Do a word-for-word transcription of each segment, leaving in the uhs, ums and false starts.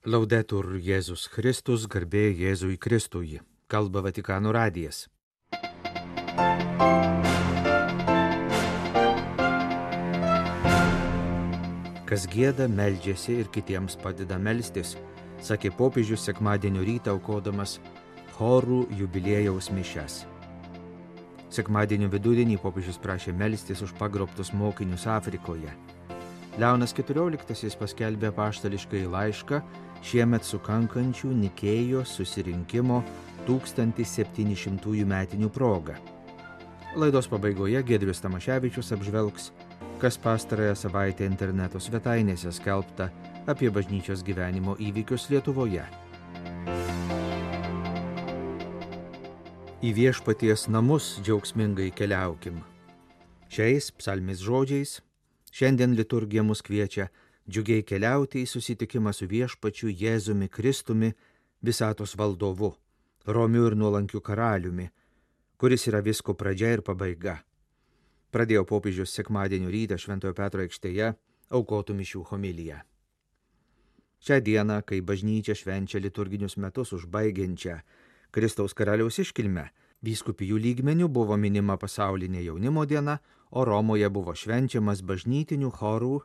Laudetur Jėzus Kristus, garbė Jėzui Kristui. Kalba Vatikano radijas. Kas gieda, meldžiasi ir kitiems padeda melstis, sakė popiežius sekmadienio rytą aukodamas chorų jubiliejaus mišias. Sekmadienio vidudienį popiežius prašė melstis už pagrobtus mokinius Afrikoje. Leonas keturioliktasis paskelbė apaštališkąjį laišką šiemet sukankančių Nikėjos susirinkimo tūkstantis septyni šimtųjų metinių proga. Laidos pabaigoje Giedrius Tamaševičius apžvelgs, kas pastarąją savaitę interneto svetainėse skelbta apie bažnyčios gyvenimo įvykius Lietuvoje. Į viešpaties namus džiaugsmingai keliaukim. Šiais psalmės žodžiais šiandien liturgija mus kviečia džiugiai keliauti į susitikimą su viešpačiu Jėzumi Kristumi, visatos valdovu, romiu ir nuolankiu karaliumi, kuris yra visko pradžia ir pabaiga. Pradėjo popiežius sekmadienio rytą Šventojo Petro aikštėje aukotų mišių homiliją. Šią dieną, kai bažnyčia švenčia liturginius metus užbaigiančią Kristaus karaliaus iškilmę, vyskupijų lygmenių buvo minima pasaulinė jaunimo diena, o Romoje buvo švenčiamas bažnytinių chorų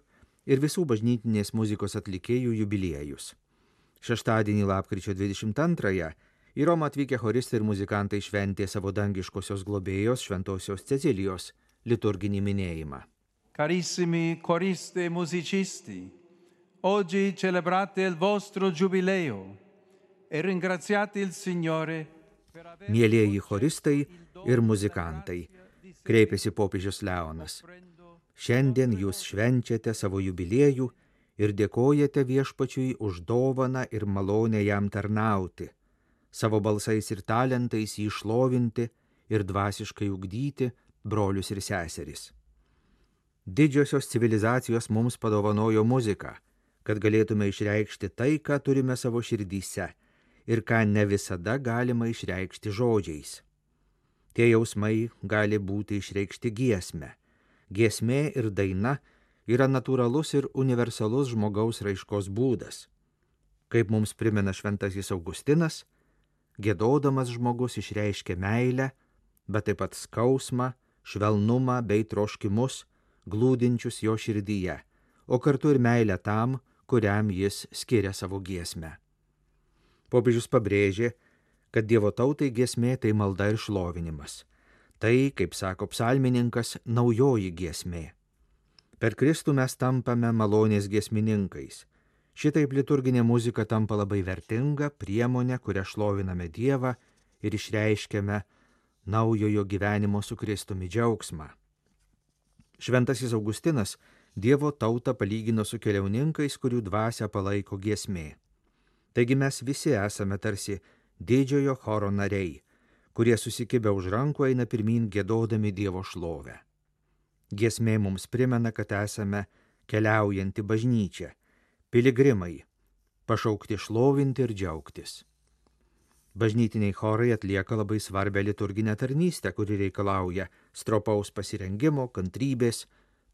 ir visų bažnytinės muzikos atlikėjų jubiliejus. Šeštadienį lapkričio dvidešimt antrąją į Romą atvykę choristai ir muzikantai šventė savo dangiškosios globėjos Šventosios Cecilijos liturginį minėjimą. Carissimi coristi e musicisti, oggi celebrate il vostro giubileo e ringraziate il Signore. Mielieji choristai ir muzikantai, kreipėsi popiežius Leonas. Šiandien jūs švenčiate savo jubiliejų ir dėkojate viešpačiui už dovaną ir malonę jam tarnauti, savo balsais ir talentais jį šlovinti ir dvasiškai ugdyti brolius ir seseris. Didžiosios civilizacijos mums padovanojo muziką, kad galėtume išreikšti tai, ką turime savo širdyse ir ką ne visada galima išreikšti žodžiais. Tie jausmai gali būti išreikšti giesme. Giesmė ir daina yra natūralus ir universalus žmogaus raiškos būdas. Kaip mums primena šventasis Augustinas, giedodamas žmogus išreiškia meilę, bet taip pat skausmą, švelnumą bei troškimus, glūdinčius jo širdyje, o kartu ir meilę tam, kuriam jis skiria savo giesmę. Popiežius pabrėžė, kad Dievo tautai giesmė tai malda ir šlovinimas. Tai, kaip sako psalmininkas, naujoji giesmė. Per Kristų mes tampame malonės giesmininkais. Šitaip liturginė muzika tampa labai vertinga priemonė, kuria šloviname Dievą ir išreiškiame naujojo gyvenimo su Kristumi džiaugsmą. Šventasis Augustinas Dievo tautą palygino su keliauninkais, kurių dvasią palaiko giesmė. Taigi mes visi esame tarsi didžiojo choro nariai, kurie susikibę už rankų eina pirmyn giedodami Dievo šlovę. Giesmė mums primena, kad esame keliaujanti bažnyčia, piligrimai, pašaukti šlovinti ir džiaugtis. Bažnytiniai chorai atlieka labai svarbią liturginę tarnystę, kuri reikalauja stropaus pasirengimo, kantrybės,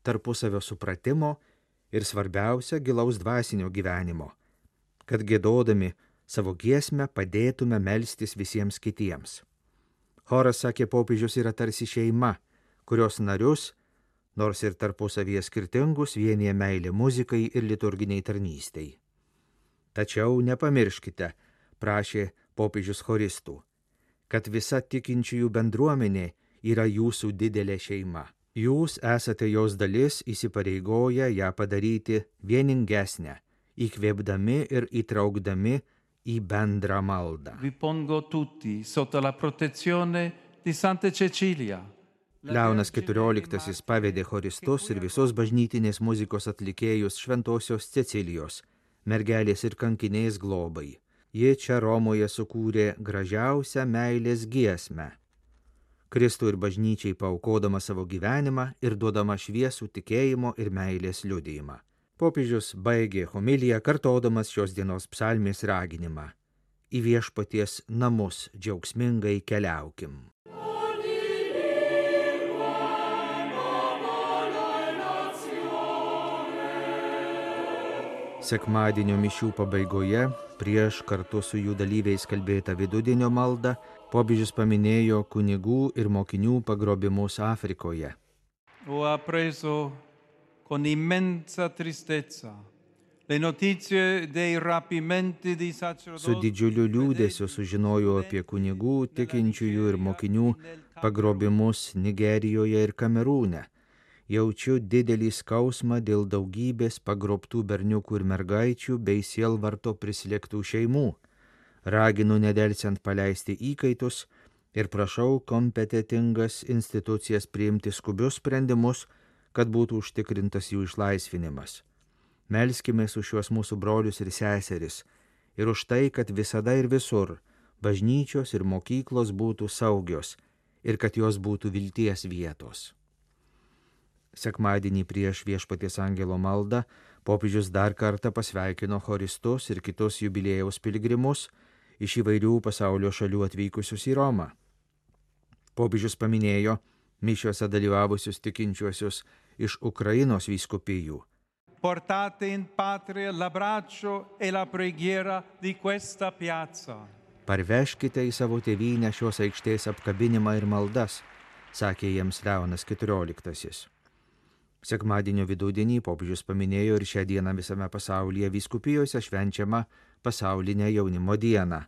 tarpusavio supratimo ir svarbiausia gilaus dvasinio gyvenimo, kad giedodami savo giesmę padėtume melstis visiems kitiems. Choras, sakė popiežius, yra tarsi šeima, kurios narius, nors ir tarpusavyje skirtingus, vienija meilė muzikai ir liturginiai tarnystei. Tačiau nepamirškite, prašė popiežius choristų, kad visa tikinčiųjų bendruomenė yra jūsų didelė šeima. Jūs esate jos dalis, įsipareigoję ją padaryti vieningesnę, įkvėpdami ir įtraukdami į bendrą maldą. Vi pongo tutti sotto la protezione di Santa Cecilia. Leonas keturioliktasis pavedė choristus ir visos bažnytinės muzikos atlikėjus Šventosios Cecilijos, mergelės ir kankinės globai. Ji čia Romoje sukūrė gražiausią meilės giesmę. Kristų ir bažnyčiai paaukodama savo gyvenimą ir duodama šviesų tikėjimo ir meilės liudijimą. Popiežius baigė homiliją kartodamas šios dienos psalmės raginimą. Į viešpaties namus džiaugsmingai keliaukim. Sekmadienio mišių pabaigoje, prieš kartu su jų dalyviais kalbėtą vidudienio maldą, popiežius paminėjo kunigų ir mokinių pagrobimus Afrikoje. Ho appreso con immensa tristezza le notizie dei rapimenti di sacerdoti. Su didžiuliu liūdėsiu sužinojau apie kunigų, tikinčiųjų ir mokinių pagrobimus Nigerijoje ir Kamerūne. Jaučiu didelį skausmą dėl daugybės pagrobtų berniukų ir mergaičių bei sielvarto prislėgtų šeimų. Raginu nedelsiant paleisti įkaitus ir prašau kompetitingas institucijas priimti skubius sprendimus, kad būtų užtikrintas jų išlaisvinimas. Melskimės už šiuos mūsų brolius ir seseris ir už tai, kad visada ir visur bažnyčios ir mokyklos būtų saugios ir kad jos būtų vilties vietos. Sekmadienį prieš Viešpaties angelo maldą popiežius dar kartą pasveikino choristus ir kitus jubiliejaus piligrimus iš įvairių pasaulio šalių atvykusius į Romą. Popiežius paminėjo mišiuose dalyvavusius tikinčiuosius iš Ukrainos vyskupijų. Portate in patria l'abbraccio e la preghiera di questa piazza. Parveškite į savo tėvynę šios aikštės apkabinimą ir maldas, sakė jiems Leonas keturioliktasis. Sekmadienio vidudienį popiežius paminėjo ir šią dieną visame pasaulyje vyskupijose švenčiamą pasaulinę jaunimo dieną.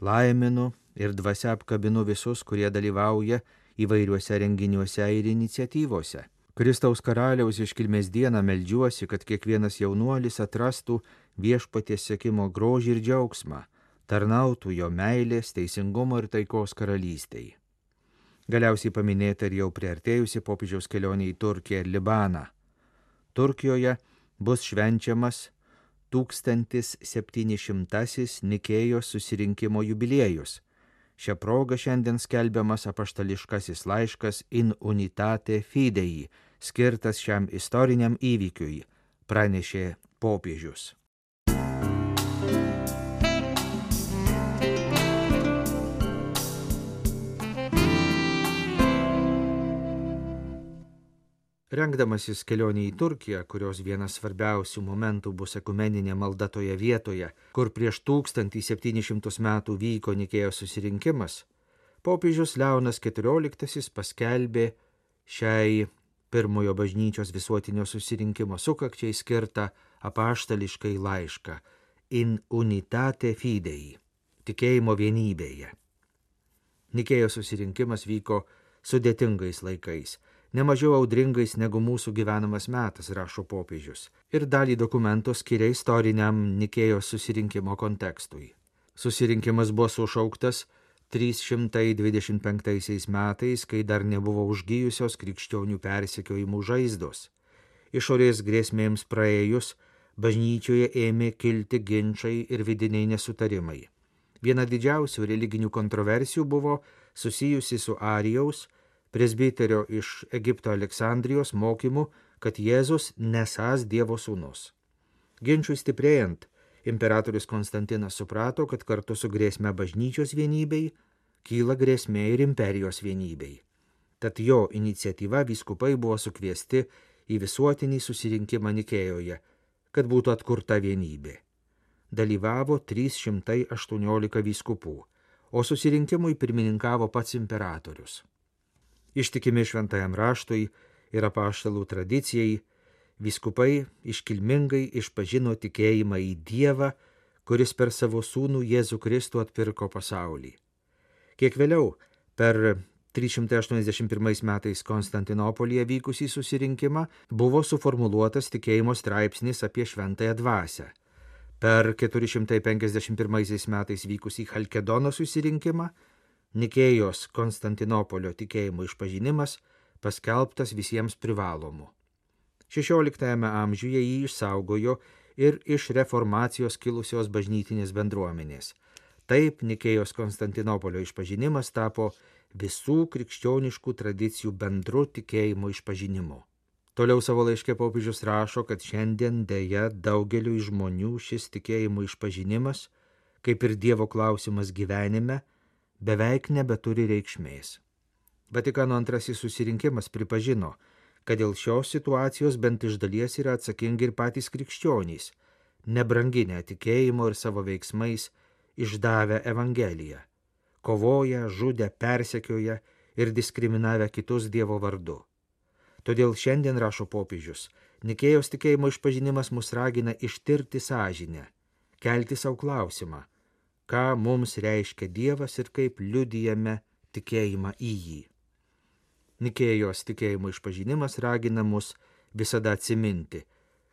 Laiminu ir dvasia apkabinu visus, kurie dalyvauja įvairiuose renginiuose ir iniciatyvose. Kristaus karaliaus iškilmės dieną meldžiuosi, kad kiekvienas jaunuolis atrastų Viešpaties sekimo grožį ir džiaugsmą, tarnautų jo meilės, teisingumo ir taikos karalystei. Galiausiai paminėta ir jau priartėjusi popiežiaus kelionė į Turkiją ir Libaną. Turkijoje bus švenčiamas tūkstantis septyni šimtasis Nikėjos susirinkimo jubiliejus. Šią progą šiandien skelbiamas apaštališkasis laiškas In Unitate Fidei, skirtas šiam istoriniam įvykiui, pranešė popiežius. Rengdamasis kelionė į Turkiją, kurios vienas svarbiausių momentų bus ekumeninė malda toje vietoje, kur prieš tūkstantį septynis šimtus metų vyko Nikėjos susirinkimas, popiežius Leonas keturioliktasis paskelbė šiai pirmojo bažnyčios visuotinio susirinkimo sukakčiai skirtą apaštališkai laišką In Unitate Fidei, tikėjimo vienybėje. Nikėjos susirinkimas vyko sudėtingais laikais, nemažiau audringais negu mūsų gyvenamas metas, rašo popiežius, ir dalį dokumento skiria istoriniam Nikėjos susirinkimo kontekstui. Susirinkimas buvo sušauktas trys šimtai dvidešimt penktaisiais metais, kai dar nebuvo užgijusios krikščionių persekiojimų žaizdos. Išorės grėsmėms praėjus, bažnyčioje ėmė kilti ginčai ir vidiniai nesutarimai. Viena didžiausių religinių kontroversijų buvo susijusi su Arijaus, presbiterio iš Egipto Aleksandrijos mokymu, kad Jėzus nesąs Dievo sūnus. Ginčui stiprėjant, imperatorius Konstantinas suprato, kad kartu su grėsme bažnyčios vienybei kyla grėsmė ir imperijos vienybei. Tad jo iniciatyva vyskupai buvo sukviesti į visuotinį susirinkimą Nikėjoje, kad būtų atkurta vienybė. Dalyvavo trys šimtai aštuoniolika vyskupų, o susirinkimui pirmininkavo pats imperatorius. Ištikimi šventajam raštui ir apaštalų tradicijai, vyskupai iškilmingai išpažino tikėjimą į Dievą, kuris per savo sūnų Jėzų Kristų atpirko pasaulį. Kiek vėliau, per trys šimtai aštuoniasdešimt pirmais metais Konstantinopolyje vykusį susirinkimą, buvo suformuluotas tikėjimo straipsnis apie šventąją dvasią. Per keturi šimtai penkiasdešimt pirmaisiais metais vykusį Chalkedono susirinkimą, Nikėjos Konstantinopolio tikėjimo išpažinimas paskelbtas visiems privalomu. šešioliktajame amžiuje jį išsaugojo ir iš reformacijos kilusios bažnytinės bendruomenės. Taip Nikėjos Konstantinopolio išpažinimas tapo visų krikščioniškų tradicijų bendru tikėjimo išpažinimu. Toliau savo laiške popiežius rašo, kad šiandien deja daugeliu žmonių šis tikėjimo išpažinimas, kaip ir Dievo klausimas gyvenime, beveik nebeturi reikšmės. Vatikano antrasis susirinkimas pripažino, kad dėl šios situacijos bent iš dalies yra atsakingi ir patys krikščionys, nebranginę tikėjimo ir savo veiksmais išdavę Evangeliją, kovoję, žudę, persekioję ir diskriminavę kitus Dievo vardu. Todėl šiandien, rašo popiežius, Nikėjos tikėjimo išpažinimas mus ragina ištirti sąžinę, kelti savo klausimą, ką mums reiškia Dievas ir kaip liudijame tikėjimą į jį. Nikėjos tikėjimo išpažinimas ragina mus visada atsiminti,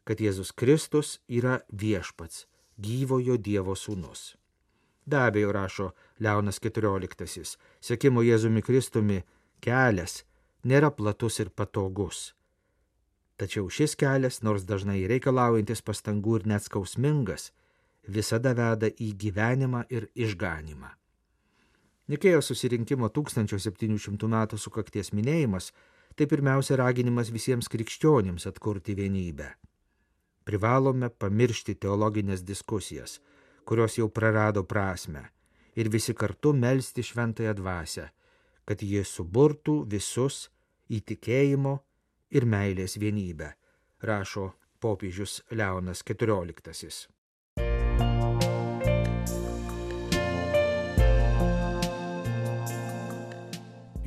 kad Jėzus Kristus yra viešpats, gyvojo Dievo sūnus. Be abejo, rašo Leonas keturioliktasis, sekimo Jėzumi Kristumi kelias nėra platus ir patogus. Tačiau šis kelias, nors dažnai reikalaujantis pastangų ir net skausmingas, visada veda į gyvenimą ir išganimą. Nikėjos susirinkimo tūkstančio septynių šimtų metų sukakties minėjimas tai pirmiausia raginimas visiems krikščionims atkurti vienybę. Privalome pamiršti teologinės diskusijas, kurios jau prarado prasmę, ir visi kartu melsti šventąją dvasią, kad jie suburtų visus į tikėjimo ir meilės vienybę, rašo popiežius Leonas keturioliktasis.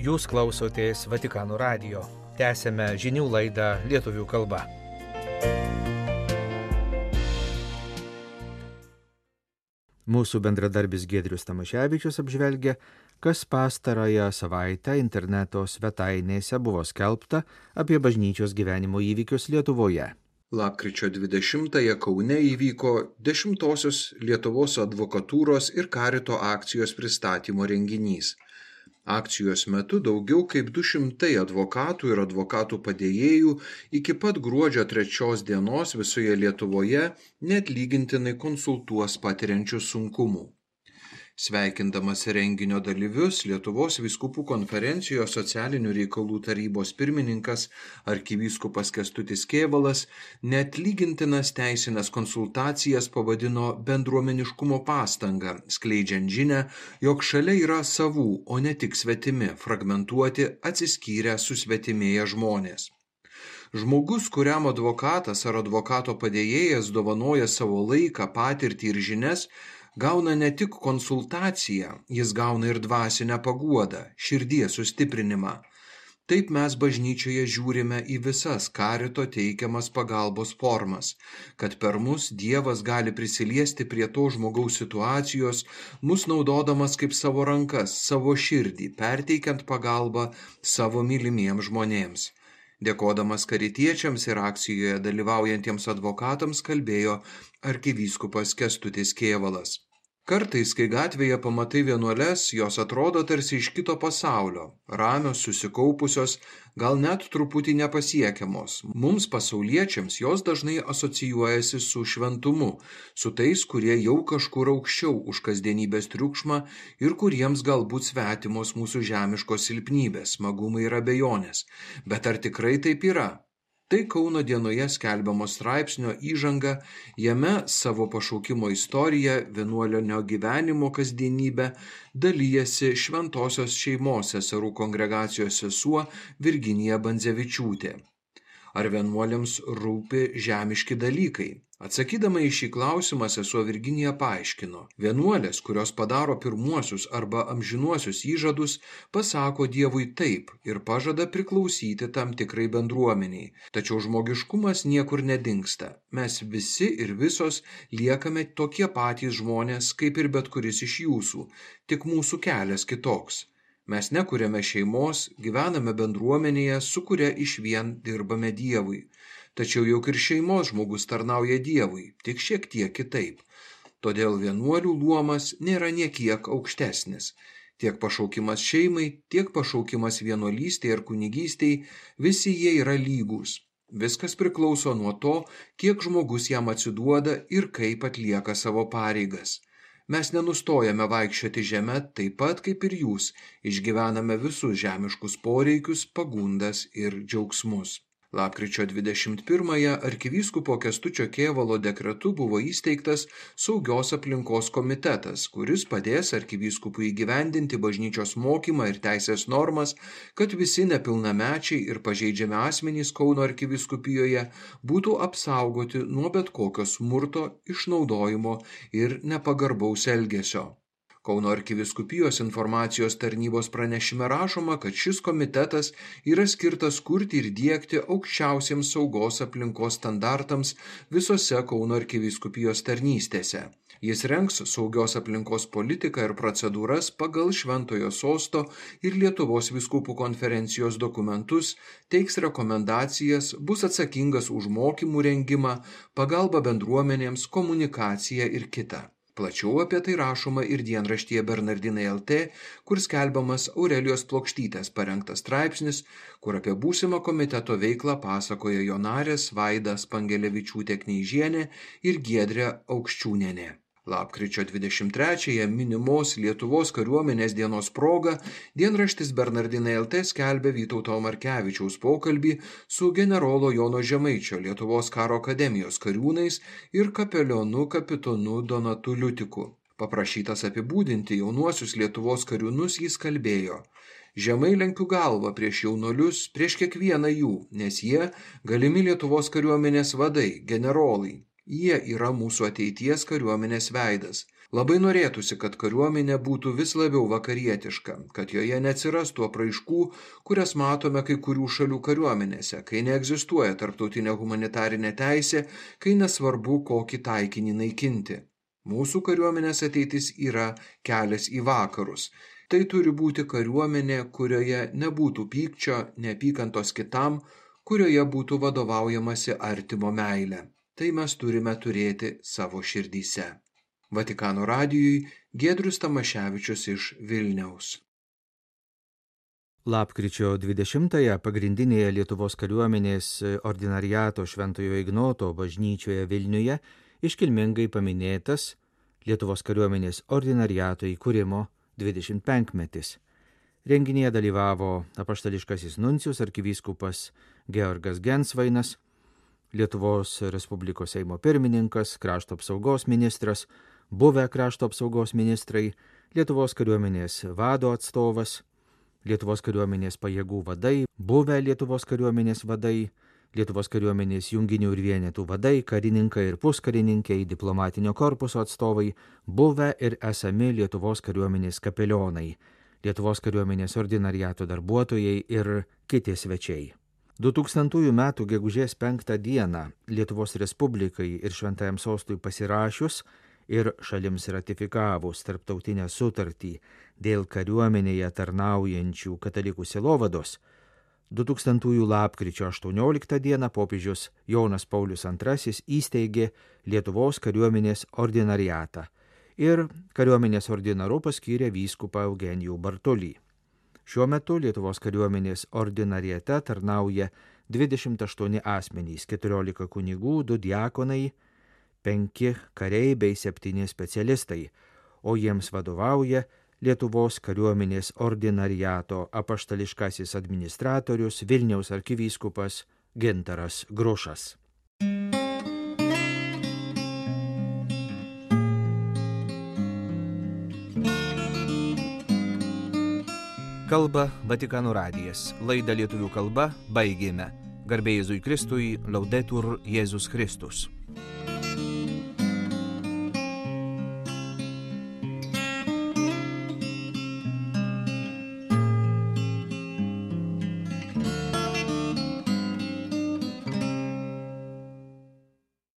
Jūs klausotės Vatikano radijo. Tęsėme žinių laidą lietuvių kalba. Mūsų bendradarbis Giedrius Tamaševičius apžvelgia, kas pastarąją savaitę interneto svetainėse buvo skelbta apie bažnyčios gyvenimo įvykius Lietuvoje. Lapkričio dvidešimtąją Kaune įvyko dešimtosios Lietuvos advokatūros ir karito akcijos pristatymo renginys. Akcijos metu daugiau kaip du šimtai advokatų ir advokatų padėjėjų iki pat gruodžio trečios dienos visoje Lietuvoje neatlygintinai konsultuos patiriančių sunkumų. Sveikindamas renginio dalyvius, Lietuvos vyskupų konferencijos socialinių reikalų tarybos pirmininkas arkivyskupas Kęstutis Kėvalas neatlygintinas teisinės konsultacijas pavadino bendruomeniškumo pastanga, skleidžiant žinią, jog šalia yra savų, o ne tik svetimi, fragmentuoti, atsiskyrę, susvetimėję žmonės. Žmogus, kuriam advokatas ar advokato padėjėjas dovanoja savo laiką, patirtį ir žinias, gauna ne tik konsultaciją, jis gauna ir dvasinę paguodą, širdies sustiprinimą. Taip mes bažnyčioje žiūrime į visas karito teikiamas pagalbos formas, kad per mus Dievas gali prisiliesti prie to žmogaus situacijos, mus naudodamas kaip savo rankas, savo širdį, perteikiant pagalbą savo mylimiems žmonėms. Dėkodamas karitiečiams ir akcijoje dalyvaujantiems advokatams kalbėjo arkivyskupas Kęstutis Kėvalas. Kartais, kai gatvėje pamatai vienuoles, jos atrodo tarsi iš kito pasaulio, ramios, susikaupusios, gal net truputį nepasiekiamos. Mums pasauliečiams jos dažnai asocijuojasi su šventumu, su tais, kurie jau kažkur aukščiau už kasdienybės triukšmą ir kuriems galbūt svetimos mūsų žemiškos silpnybės, smagumai ir abejonės. Bet ar tikrai taip yra? Tai Kauno dienoje skelbiamo straipsnio įžanga, jame savo pašaukimo istoriją, vienuolinio gyvenimo kasdienybę dalyjasi Šventosios šeimos seserų kongregacijos sesuo Virginija Bandzevičiūtė. Ar vienuoliams rūpi žemiški dalykai? Atsakydama į šį klausimą sesuo Virginija paaiškino, vienuolės, kurios padaro pirmuosius arba amžinuosius įžadus, pasako Dievui taip ir pažada priklausyti tam tikrai bendruomeniai. Tačiau žmogiškumas niekur nedingsta. Mes visi ir visos liekame tokie patys žmonės, kaip ir bet kuris iš jūsų, tik mūsų kelias kitoks. Mes nekuriame šeimos, gyvename bendruomenėje, su kuria išvien dirbame Dievui. Tačiau juk ir šeimos žmogus tarnauja Dievui, tik šiek tiek kitaip. Todėl vienuolių luomas nėra niekiek aukštesnis. Tiek pašaukimas šeimai, tiek pašaukimas vienuolystėje ir kunigystėje, visi jie yra lygūs. Viskas priklauso nuo to, kiek žmogus jam atsiduoda ir kaip atlieka savo pareigas. Mes nenustojame vaikščioti žemę taip pat kaip ir jūs, išgyvename visus žemiškus poreikius, pagundas ir džiaugsmus. Lapkričio dvidešimt pirmąją arkivyskupo Kęstučio Kėvalo dekretu buvo įsteigtas Saugios aplinkos komitetas, kuris padės arkivyskupui įgyvendinti bažnyčios mokymą ir teisės normas, kad visi nepilnamečiai ir pažeidžiami asmenys Kauno arkivyskupijoje būtų apsaugoti nuo bet kokio smurto, išnaudojimo ir nepagarbaus elgesio. Kauno arkivyskupijos informacijos tarnybos pranešime rašoma, kad šis komitetas yra skirtas kurti ir diegti aukščiausiems saugos aplinkos standartams visose Kauno arkivyskupijos tarnystėse. Jis rengs saugios aplinkos politiką ir procedūras pagal Šventojo Sosto ir Lietuvos vyskupų konferencijos dokumentus, teiks rekomendacijas, bus atsakingas už mokymų rengimą, pagalbą bendruomenėms, komunikaciją ir kitą. Plačiau apie tai rašoma ir dienraštyje Bernardinai L T, kur skelbiamas Aurelijos Plokštytės parengtas straipsnis, kur apie būsimą komiteto veiklą pasakoja jo narės Vaida Spangelevičiūtė Kneižienė ir Giedrė Aukščiūnienė. Lapkričio dvidešimt trečiąją minimos Lietuvos kariuomenės dienos proga dienraštis Bernardinai L T skelbia Vytauto Markevičiaus pokalbį su generolo Jono Žemaičio Lietuvos karo akademijos kariūnais ir kapelionu kapitonu Donatu Liutiku. Paprašytas apibūdinti jaunuosius Lietuvos kariūnus, jis kalbėjo: Žemai lenkiu galvą prieš jaunuolius, prieš kiekvieną jų, nes jie galimi Lietuvos kariuomenės vadai, generolai. Jie yra mūsų ateities kariuomenės veidas. Labai norėtųsi, kad kariuomenė būtų vis labiau vakarietiška, kad joje neatsirastų apraiškų, kurias matome kai kurių šalių kariuomenėse, kai neegzistuoja tarptautinė humanitarinė teisė, kai nesvarbu, kokį taikinį naikinti. Mūsų kariuomenės ateitis yra kelias į vakarus. Tai turi būti kariuomenė, kurioje nebūtų pykčio, neapykantos kitam, kurioje būtų vadovaujamasi artimo meile. Tai mes turime turėti savo širdyse. Vatikano radijui Giedrius Tamaševičius iš Vilniaus. Lapkričio dvidešimtąją pagrindinėje Lietuvos kariuomenės ordinariato Šventojo Ignoto bažnyčioje Vilniuje iškilmingai paminėtas Lietuvos kariuomenės ordinariato įkūrimo dvidešimt penkmetis. Renginyje dalyvavo apaštališkasis nuncijus arkivyskupas Georgas Gensvainas, Lietuvos Respublikos Seimo pirmininkas, krašto apsaugos ministras, buvę krašto apsaugos ministrai, Lietuvos kariuomenės vado atstovas, Lietuvos kariuomenės pajėgų vadai, buvę Lietuvos kariuomenės vadai, Lietuvos kariuomenės junginių ir vienetų vadai, karininkai ir puskarininkai, diplomatinio korpuso atstovai, buvę ir esami Lietuvos kariuomenės kapelionai, Lietuvos kariuomenės ordinariato darbuotojai ir kiti svečiai. du tūkstantųjų metų gegužės penktą dieną Lietuvos Respublikai ir Šventajam Sostui pasirašius ir šalims ratifikavus tarptautinę sutartį dėl kariuomenėje tarnaujančių katalikų sielovados, du tūkstantųjų lapkričio aštuonioliktą dieną popiežius Jonas Paulius antrasis įsteigė Lietuvos kariuomenės ordinariatą ir kariuomenės ordinaru paskyrė vyskupą Eugenijų Bartulį. Šiuo metu Lietuvos kariuomenės ordinariate tarnauja dvidešimt aštuoni asmenys, keturiolika kunigų, du diakonai, penki kariai bei septyni specialistai, o jiems vadovauja Lietuvos kariuomenės ordinariato apaštališkasis administratorius Vilniaus arkivyskupas Gintaras Grušas. Kalba Vatikano radijas. Laidą lietuvių kalba baigėme. Garbė Jėzui Kristui, Laudetur Jėzus Kristus.